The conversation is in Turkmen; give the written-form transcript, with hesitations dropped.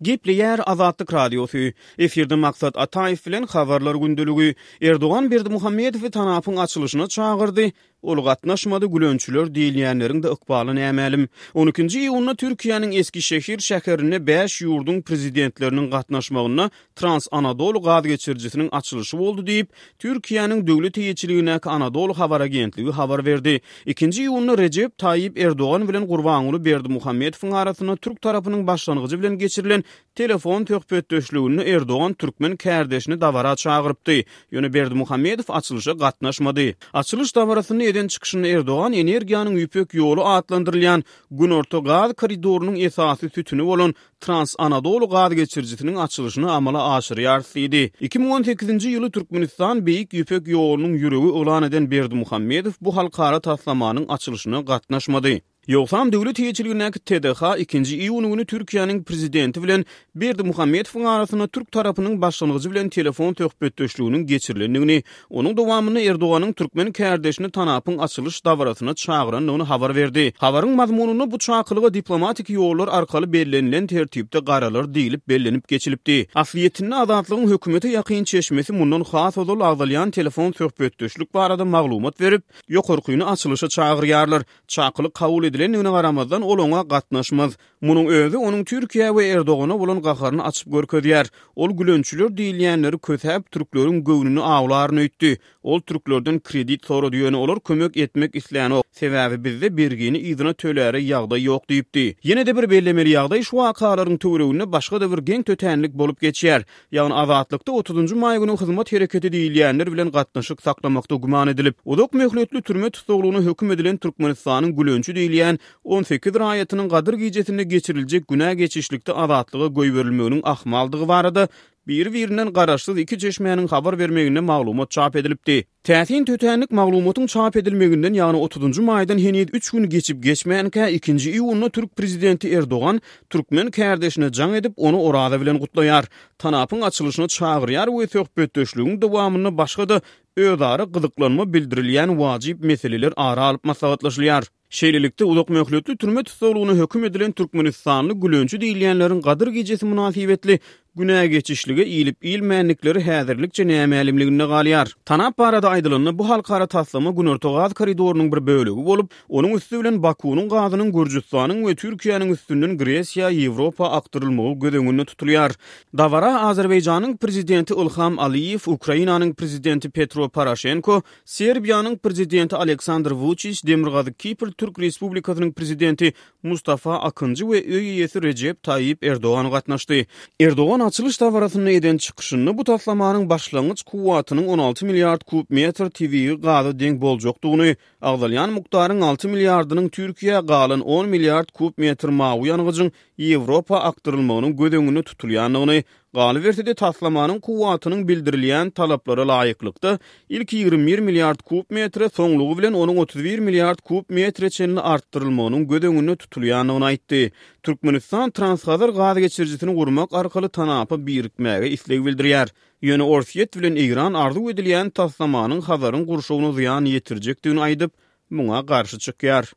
Gepleýär Azatlyk Radiosy. Efirde Maksat Ataýew bilen Habarlar gündeligi. Erdogan Berdimuhamedowy TANAP-yň açylyşyna çagyrdy. Ol gatnaşmady, gülençiler diýilýänleriň-de ykbaly nämälim. On ikinji iýunda Türkiýäniň Eskişehir şäherinde bäş ýurduň prezidentleriniň gatnaşmagynda Trans-Anadolu gaz geçirijisiniň açylyşy boldy diýip, Türkiýäniň döwlet eýeçiligindäki Anadolu habar agentligi habar berdi. Ikinji iýunda Rejep Taýyp Erdogan bilen Gurbanguly Berdimuhamedowyň arasynda türk tarapynyň başlangyjy bilen geçirilen telefon söhbetdeşliginde Erdogan türkmen kärdeşini dabara çagyrypdy. Ýöne Berdimuhamedow açylyşa gatnaşmady. Açylyş dabarasynda eden çykyşynda Erdogan energiýanyň Ýüpek ýoly atlandyrylýan Günorta gaz koridorynyň esasy sütüni bolan Trans-Anadolu gaz geçirijisiniň açylyşyny amala aşyrýarys diýdi. 2018-nji ýyly Türkmenistan Beýik Ýüpek ýolunyň ýüregi yglan eden Berdimuhamedow bu halkara taslamanyň açylyşyna gatnaşmady. Ýogsam döwlet eýeçiligindäki TDH ikinji iýun güni Türkiýäniň Prezidenti bilen Berdimuhamedowyň arasynda türk tarapynyň başlangyjy bilen telefon söhbetdeşliginiň geçirilendigini, Onuň dowamynda Erdoganyň türkmen kärdeşini TANAP-yň açylyş dabarasyna çagyrandygyny habar berdi. Habaryň mazmunynda bu çakylyga diplomatik ýollar arkaly bellenilen tertipde garalar diýlip bellenip geçilipdi. Aslyýetinde Azatlygyň hökümete ýakyn çeşmesi mundan has ozal agzalýan telefon söhbetdeşlik barada maglumat berip, ýokarkyny açylyşa çagyrýarlar. Çakylyk kabul edilendigine garamazdan ol oňa gatnaşmaz. Munuň özi onuň Türkiýä we Erdogana bolan gaharyny açyp görkezýär. Ol gülençiler diýilýänleri kösäp, türkleriň göwnüni awlaryn öýtdi. Ol türklerden kredit sorady, ýöne olar kömek etmek islänok, sebäbi bizde bergini yzyna töläre ýagdaý ýok diýipdi. Ýene-de bir bellemeli ýagdaý şu wakalaryň töwereginde başga-da bir geň tötänlik bolup geçýär. Ýagny Azatlykda otuzynjy maý güni hyzmat hereketi diýilýänler bilen gatnaşyk saklamakda güman edilip, uzak möhletli türme tussaglygyna höküm edilen Türkmenistanyň gülençi diýilýän 18 raýatynyň Gadyr gijesinde geçiriljek günä geçişlikde azatlyga goýberilmeginiň ahmaldygy barada biri-birinden garaşsyz iki çeşmäniň habar bermeginde maglumat çap edilipdi. Täsin tötänlik maglumatyň çap edilmeginden, ýagny otuzynjy maýdan heniz üç gün geçip-geçmänkä, ikinji iýunda türk prezidenti Erdogan türkmen kärdeşine jaň edip, ony Oraza bilen gutlaýar, TANAP-yň açylyşyna çagyrýar we söhbetdeşligiň dowamynda başga-da özara gyzyklanma bildirilýän wajyp meseleler ara alyp maslahatlaşylýar. Şeýlelikde, uzak möhletli türme tussaglygyna höküm edilen türkmenistanly gülençi diýilýänleriň Gadyr gijesi mynasybetli günä geçişlige ilip-ilmändikleri häzirlikçe nämälimliginde galýar. Tanap barada aýdylanda, bu halkara taslama Günorta gaz koridorynyň bir bölegi bolup, onuň üsti bilen Bakunyň gazynyň Gürjüstanyň we Türkiýäniň üstünden Gresiýa, Ýewropa akdyrylmagy göz öňünde tutulýar. Dabara Azerbaýjanyň Prezidenti Ilham Aliýew, Ukrainanyň Prezidenti Petro Poroşenko, Serbiýanyň Prezidenti Aleksandr Wuçiç, Demirgazyk Kipr Türk Respublikasynyň Prezidenti Mustafa Akynjy we öý eýesi Rejep Taýýip Erdogan gatnaşdy. Erdogan açylyş dabarasynda eden çykyşynda bu taslamanyň başlangyç kuwwatynyň 16 milliard kub metr tebigy gaza deň boljakdygyny, agzalýan mukdaryň 6 milliardynyň Türkiýä, galan on milliard kub metr mawy ýangyjyň Ýewropa akdyrylmagynyň göz öňünde tutulýandygyny, Galyberse-de, taslamanyň kuwwatynyň bildirilýän talaplara laýyklykda, ilki 21 milliard kub metre, soňlugy bilen onuň 31 milliard kub metre çenli artdyrylmagynyň göz öňünde tutulýandygyny aýtdy. Türkmenistan Transhazar gaz geçirijisini gurmak arkaly TANAP-a birikmäge isleg bildirýär. Ýöne Orsýet bilen Eýran arzuw edilýän taslamanyň Hazaryň gurşawyna zyýan ýetirjekdigini aýdyp, muňa garşy çykýar.